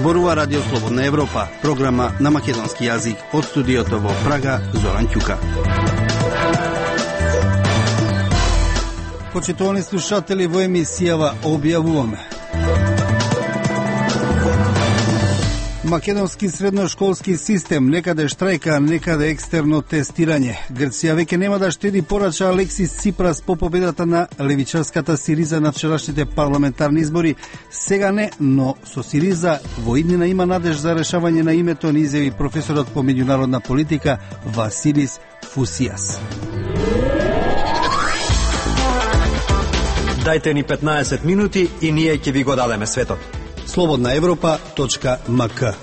Зборува Радио Слободна Европа, програма на македонски јазик од студиото во Прага, Зоран Ќука. Почитувани слушатели, во емисијава објавуваме: македонски средношколски систем, некаде штрајка, некаде екстерно тестирање. Грција веќе нема да штеди, порача Алексис Ципрас по победата на левичарската Сириза на вчерашните парламентарни избори. Сега не, но со Сириза во иднина има надеж за решавање на името, ни изјави професорот по меѓународна политика Василис Фусијас. Дајте ни 15 минути и ние ќе ви го дадеме светот. slobodnaevropa.mk.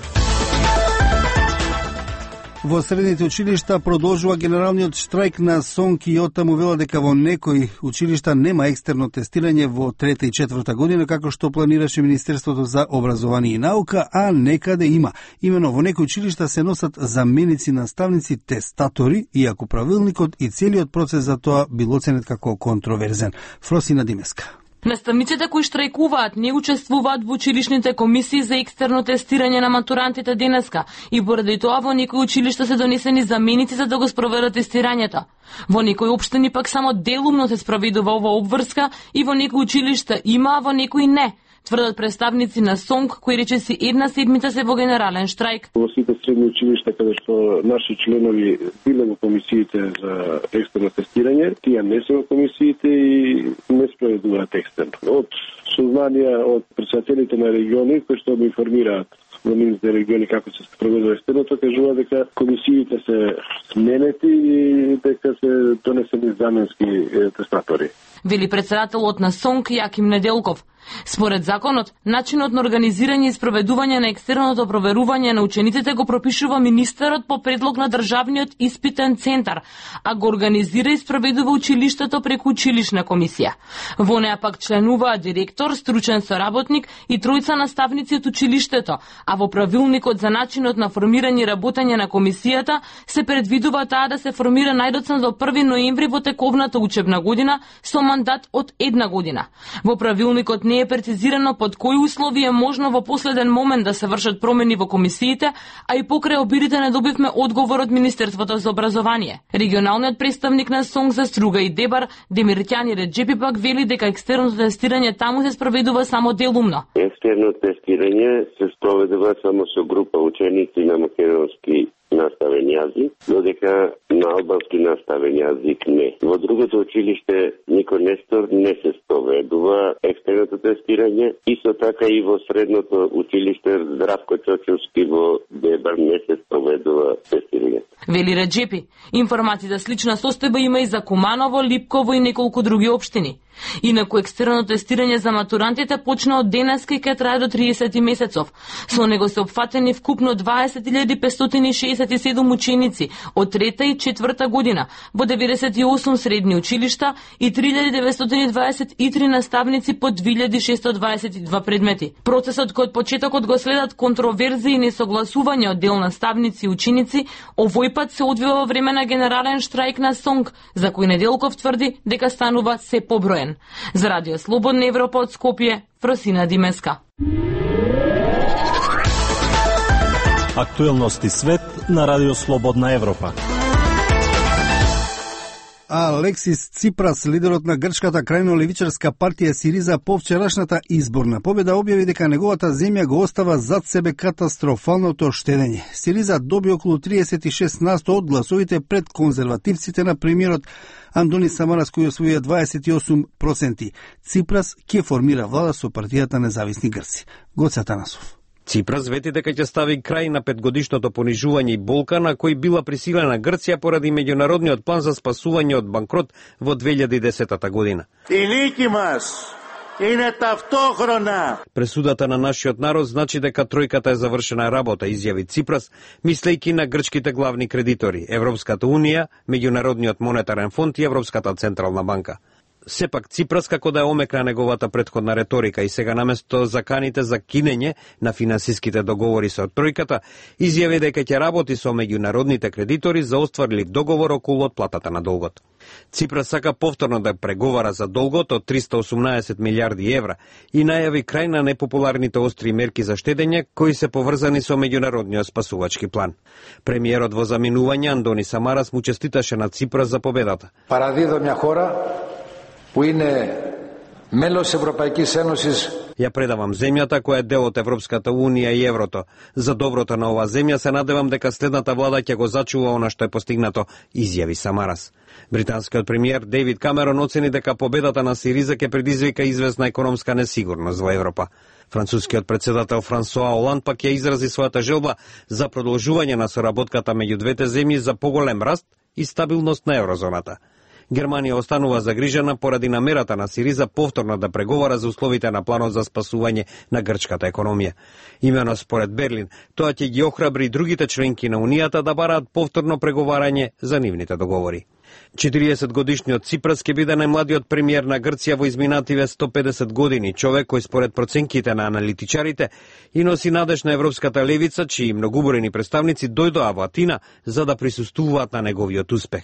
Во средните училишта продолжува генералниот штрајк на СОНК и оттаму вела дека во некои училишта нема екстерно тестирање во 3-та и 4-та година, како што планираше Министерството за образование и наука, а некаде има. Имено во некои училишта се носат заменици наставници тестатори, иако правилникот и целиот процес за тоа бил оценет како контроверзен. Фросина Димеска. Наставниците кои штрајкуваат не учествуваат во училишните комисии за екстерно тестирање на матурантите денеска и поради тоа во некои училишта се донесени заменици за да го спроведат тестирањето. Во некои општини пак само делумно се спроведува ова обврска и во некои училишта има, а во некои не, тврдат представници на СОНК, кои речиси една седмица се во генерален штрајк. Во сите средни училишта каде што наши членови биле во комисиите за екстерно тестирање, тие не се во комисиите и не спроведуваат екстерно. Од сознанија од претседателите на региони кои што го информираат во нивните региони како се спроведува екстерното, кажува дека комисиите се сменети и дека се донесени заменски тестатори. Вели претседателот на СОНК Јаким Неделков. Според законот, начинот на организирање и спроведување на екстерното проверување на учениците го пропишува министерот по предлог на Државниот испитен центар, а го организира и спроведува училиштето преку училишна комисија. Во неа пак членуваат директор, стручен соработник и тројца наставници од училиштето, а во правилникот за начинот на формирање и работење на комисијата се предвидува таа да се формира најдоцна до 1 ноември во тековната учебна година со мандат од 1 година. Во правилникот не е прецизирано под кои услови е можно во последен момент да се вршат промени во комисиите, а и покрај обидите не добивме одговор од Министерството за образование. Регионалниот представник на СОНК за Струга и Дебар, Демиртјани Реджепи, пак вели дека екстерното тестирање таму се спроведува само делумно. Екстерно тестирање се спроведува само со група ученици на македонски наставен јазик, додека на албански наставен јазик не. Во другото училиште Нико Нестор не се спроведува екстерното тестирање, исто така и во средното училиште Здравко Чочовски во Дебар не се спроведува тестирање. Вели Реджепи, информации за слична состојба има и за Куманово, Липково и неколку други општини. Инаку екстерно тестирање за матурантите почна од денеска и ќе трае до 30 месецов. Со него се опфатени вкупно 20.567 ученици од 3-та и 4-та година во 98 средни училишта и 3.923 наставници по 2.622 предмети. Процесот кој од почетокот го следат контроверзии и несогласување од дел наставници и ученици, овој пат се одвива во време на генерален штрајк на СОНК, за кој Неделков тврди дека станува се поброен. За Радио Слободна Европа од Скопје, Фросина Димеска. Актуелности свет на Радио Слободна Европа. Алексис Ципрас, лидерот на грчката крајно левичарска партија Сириза, по вчерашната изборна победа објави дека неговата земја го остава зад себе катастрофалното штедење. Сириза доби околу 36% од гласовите пред конзервативците на премиерот Андони Самарас, кој освоија 28%. Ципрас ќе формира влада со партијата Независни грци. Гоце Атанасов. Ципрас вети дека ќе стави крај на 5-годишното понижување и болка на кој била присилена Грција поради меѓународниот план за спасување од банкрот во 2010 година. Пресудата на нашиот народ значи дека тројката е завршена работа, изјави Ципрас, мислејќи на грчките главни кредитори, Европската унија, Меѓународниот монетарен фонд и Европската централна банка. Сепак Ципрас, како да ја омекна неговата претходна реторика и сега наместо заканите за кинење на финансиските договори со тројката, изјави дека ќе работи со меѓународните кредитори за остварлив договор околу отплатата на долгот. Ципрас сака повторно да преговара за долгот од 318 милиарди евра и најави крај на непопуларните остри мерки за штедење кои се поврзани со меѓународниот спасувачки план. Премиерот во заминување Андони Самарас му честиташе на Ципрас за победата. Παραδίδω μια χώρα που είναι μέλος Ευρωπαϊκής Ένωσης. Ја предавам земјата која е дел од Европската Унија и еврото. За доброто на оваа земја се надевам дека следната влада ќе го зачува она што е постигнато, изјави Самарас. Британскиот премиер Дейвид Камерон оцени дека победата на Сириза ќе предизвика известна економска несигурност во Европа. Францускиот председател Франсуа Оланд пак ја изрази својата желба за продолжување на соработката меѓу двете земји за поголем раст и стабилност на еврозоната. Германија останува загрижена поради намерата на Сириза повторно да преговара за условите на планот за спасување на грчката економија. Имено според Берлин, тоа ќе ги охрабри другите членки на Унијата да бараат повторно преговарање за нивните договори. 40-годишниот Ципрас ќе биде најмладиот премиер на Грција во изминативе 150 години, човек кој според проценките на аналитичарите и носи надеж на европската левица, чии многобројни представници дојдоа во Атина за да присуствуваат на неговиот успех.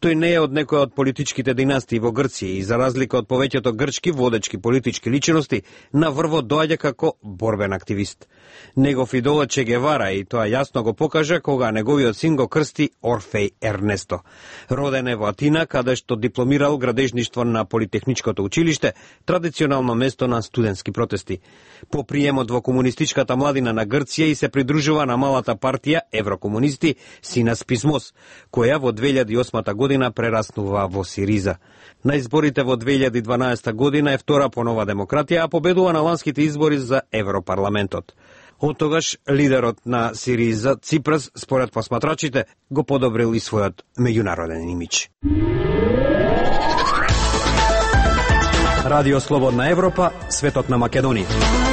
Тој не е од некоја од политичките династии во Грција и за разлика од повеќето грчки водечки политички личности, на врво доаѓа како борбен активист. Негов идол е Че Гевара и тоа јасно го покажа кога неговиот син го крсти Орфеј Ернесто. Роден е во Атина, каде што дипломирал градежништво на Политехничкото училиште, традиционално место на студентски протести. По приемот во комунистичката младина на Грција и се придружува на малата партија Еврокомунисти Синас Писмос, која во 2008 година прераснува во Сириза. На изборите во 2012 година е втора по Нова демократија, а победува на ланските избори за Европарламентот. Од тогаш лидерот на Сириза, Ципрас, според посматрачите, го подобрил и својот меѓународен имидж. Радио Слободна Европа, светот на Македонија.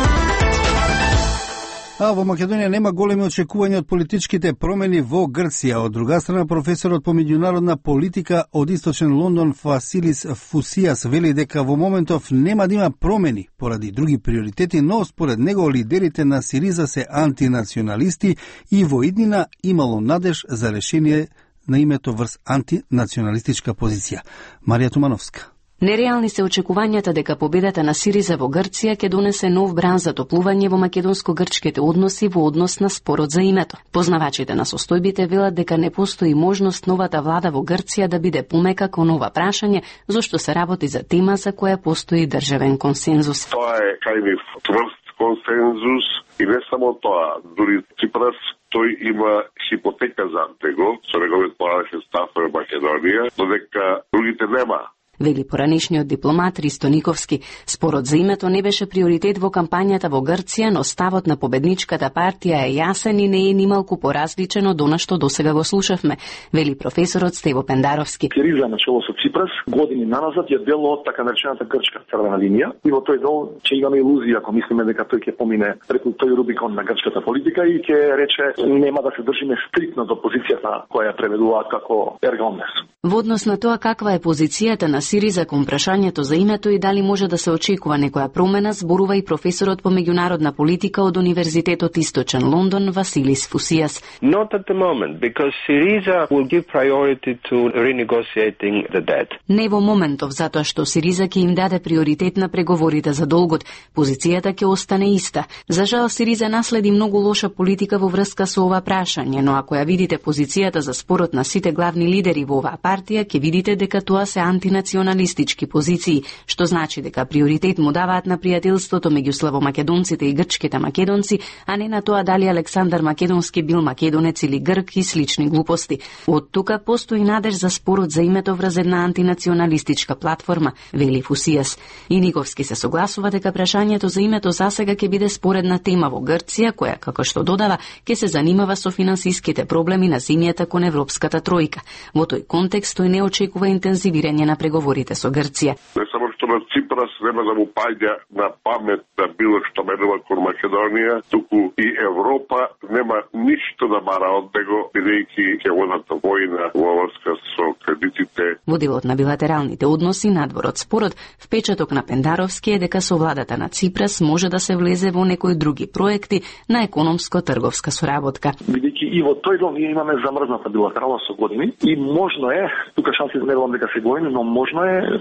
А во Македонија нема големи очекувања од политичките промени во Грција. Од друга страна, професорот по меѓународна политика од Источен Лондон Василис Фусијас вели дека во моментов нема да има промени поради други приоритети, но според него лидерите на Сириза се антинационалисти и во иднина имало надеж за решение на името врз антинационалистичка позиција. Марија Тумановска. Нереални се очекувањата дека победата на Сириза во Грција ќе донесе нов бран за топлување во македонско-грчките односи во однос на спорот за името. Познавачите на состојбите велат дека не постои можност новата влада во Грција да биде помека кон ова прашање, зашто се работи за тема за која постои државен консензус. Тоа е кајнив тврст консензус и не само тоа, дури Ципрас тој има хипотека за него, со неговиот поранешен став во Македонија, но дека другите нема. Вели поранишниот дипломат Ристо Никовски. Спорот за името не беше приоритет во кампањата во Грција, но ставот на победничката партија е јасен и не е нималку поразличен од она што досега го слушавме, вели професорот Стево Пендаровски. Сириза начело со Ципрас години наназад е дел од така наречената грчка црвена линија и во тој дел ќе имаме илузија ако мислиме дека тој ќе помине преку тој рубикон на грчката политика и ќе рече нема да се држиме стриктно до позицијата која преведуваат како ерга омнес. Во однос на тоа каква е позицијата на Сириза кон прашањето за името и дали може да се очекува некоја промена, зборува и професорот по меѓународна политика од Универзитетот Источен Лондон Василис Фусијас. Not at the moment, because Syriza will give priority to renegotiating the debt. Не во моментов, затоа што Сириза ќе им даде приоритет на преговорите за долгот. Позицијата ќе остане иста. За жал, Сириза наследи многу лоша политика во врска со ова прашање, но ако ја видите позицијата за спорот на сите главни лидери во оваа партија, ќе видите дека тоа се антинационалистички позиции, што значи дека приоритет му даваат на пријателството меѓу славомакедонците и грчките македонци, а не на тоа дали Александар Македонски бил македонец или грк и слични глупости. Од тука постои надеж за спорот за името врз една антинационалистичка платформа, вели Фусијас. И Никовски се согласува дека прашањето за името засега ќе биде споредна тема во Грција, која, како што додава, ќе се занимава со финансиските проблеми на земјата кон Европската тројка. Во тој контекст тој не очекува интензивирање на преговорите со Грција. Не само што на Ципрас нема да му паѓа на памет да било што менува кон Македонија, туку и Европа нема ништо да бара од него, бидејќи ќе водат војна во врска со кредитите. Водилот на билатералните односи надвор од спорот, впечаток на Пендаровски е дека со владата на Ципрас може да се влезе во некои други проекти на економско-трговска соработка. Бидејќи и во тој дел ние имаме замрзната билатерална со години и можно е, тука шанси не велам дека се големи, но можно е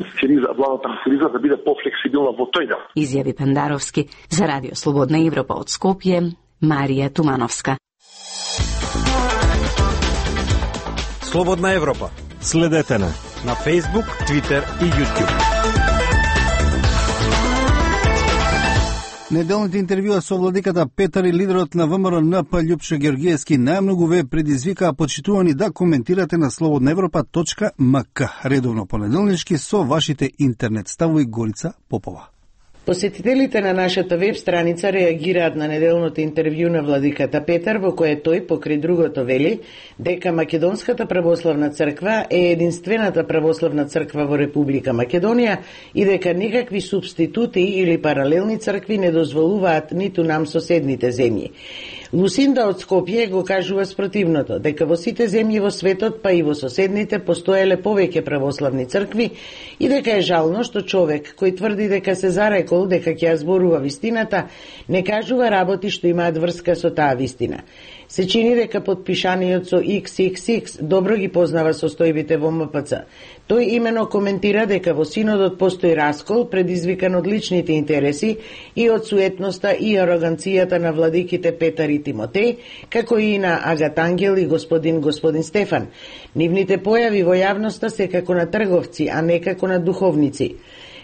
владата на Сириза да биде пофлексибилна во тој дел. Изјави Пендаровски. За Радио Слободна Европа од Скопје, Марија Тумановска. Слободна Европа. Следете на Facebook, Twitter и YouTube. Неделните интервјуа со владиката Петар и лидерот на ВМРО НП Љупчо Георгиевски најмногу ве предизвикаа почитувани да коментирате на slobodnaevropa.mk. Редовно понеделнички со вашите интернет ставови Горица Попова. Посетителите на нашата веб страница реагираат на неделното интервју на владиката Петар, во кое тој, покри другото, вели дека Македонската православна црква е единствената православна црква во Република Македонија и дека никакви субститути или паралелни цркви не дозволуваат ниту нам соседните земји. Лусинда од Скопје го кажува спротивното, дека во сите земји во светот, па и во соседните, постоеле повеќе православни цркви и дека е жално што човек кој тврди дека се зарекол дека ќе ја зборува вистината, не кажува работи што имаат врска со таа вистина. Се чини дека подпишаниот со XXX добро ги познава состојбите во МПЦ. Тој имено коментира дека во синодот постои раскол предизвикан од личните интереси и од суетноста и ароганцијата на владиките Петар и Тимотеј, како и на Агат Ангел и господин Стефан. Нивните појави во јавноста се како на трговци, а не како на духовници.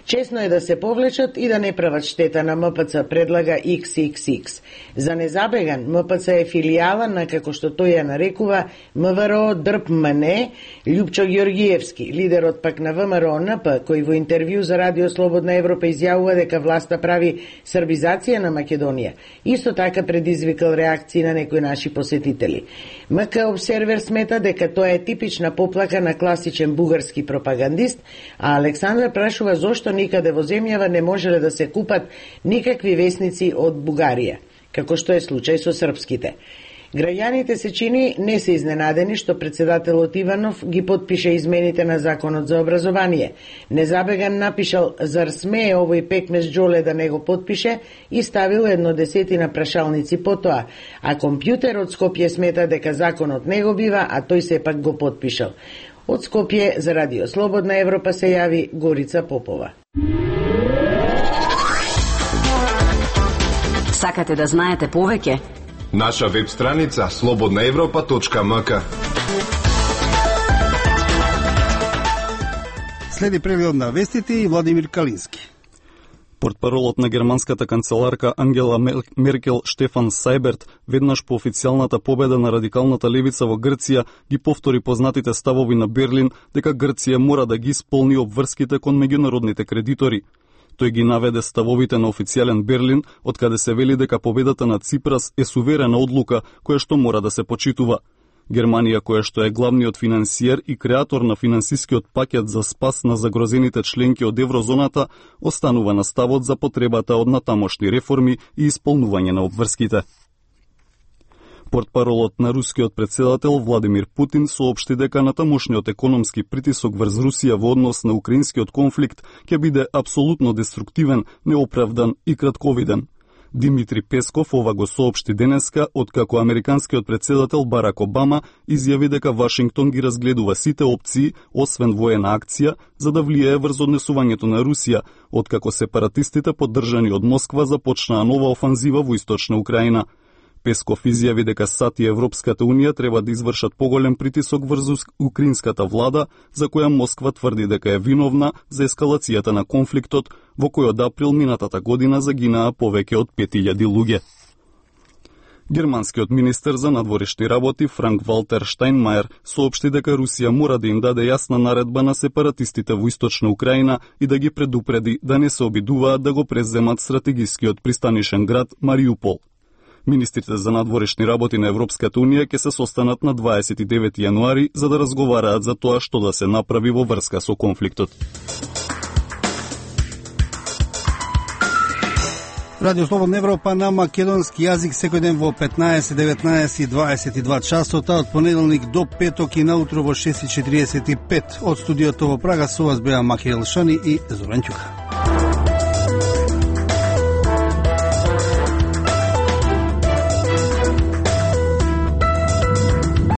Чесно е да се повлечат и да не прават штета на МПЦ, предлага XXX. За незабеган, МПЦ е филијала на, како што тој ја нарекува, МВР ДРПМН Љупчо Георгиевски, лидерот пак на ВМРО НП, кој во интервју за Радио Слободна Европа изјавува дека власта прави србизација на Македонија. Исто така предизвикал реакции на некои наши посетители. МК Обсервер смета дека тоа е типична поплака на класичен бугарски пропагандист, а Александар прашува зошто никаде во земјава не можеле да се купат никакви весници од Бугарија, како што е случај со српските. Граѓаните се чини не се изненадени што председателот Иванов ги потпише измените на Законот за образование. Незабеган напишал зар смее овој пекмез Джоле да не го потпише и ставил 1/10 прашалници потоа, а компјутерот Скопје смета дека законот не го бива, а тој сепак го потпишал. Од Скопје за Радио Слободна Европа се јави Горица Попова. Сакате да знаете повеќе? Наша веб страница slobodnaevropa.mk. Следи преглед на вестите и Владимир Калински. Портпаролот на германската канцеларка Ангела Меркел Штефан Сайберт веднаш по официјалната победа на радикалната левица во Грција ги повтори познатите ставови на Берлин дека Грција мора да ги исполни обврските кон меѓународните кредитори. Тој ги наведе ставовите на официјален Берлин, од каде се вели дека победата на Ципрас е суверена одлука која што мора да се почитува. Германија, која што е главниот финансиер и креатор на финансискиот пакет за спас на загрозените членки од еврозоната, останува на ставот за потребата од натамошни реформи и исполнување на обврските. Портпаролот на рускиот председател Владимир Путин соопшти дека натамошниот економски притисок врз Русија во однос на украинскиот конфликт ќе биде апсолутно деструктивен, неоправдан и кратковиден. Димитри Песков ова го соопшти денеска, откако американскиот председател Барак Обама изјави дека Вашингтон ги разгледува сите опции, освен воена акција, за да влијае врз однесувањето на Русија, откако сепаратистите поддржани од Москва започнаа нова офанзива во источна Украина. Песков изјави дека САД и Европската Унија треба да извршат поголем притисок врз украинската влада, за која Москва тврди дека е виновна за ескалацијата на конфликтот, во кој од април минатата година загинаа повеќе од 5000 луѓе. Германскиот министер за надворешни работи Франк Валтер Штајнмајер соопшти дека Русија мора да им даде јасна наредба на сепаратистите во источна Украина и да ги предупреди да не се обидуваат да го преземат стратегискиот пристанишен град Мариупол. Министрите за надворешни работи на Европската Унија ќе се состанат на 29 јануари за да разговараат за тоа што да се направи во врска со конфликтот. Радио Слободна Европа на македонски јазик секој ден во 15, 19 и 22 часота од понеделник до петок и наутро во 6:45 од студиото во Прага. Со вас беа Македон Шани и Зоран Ќука.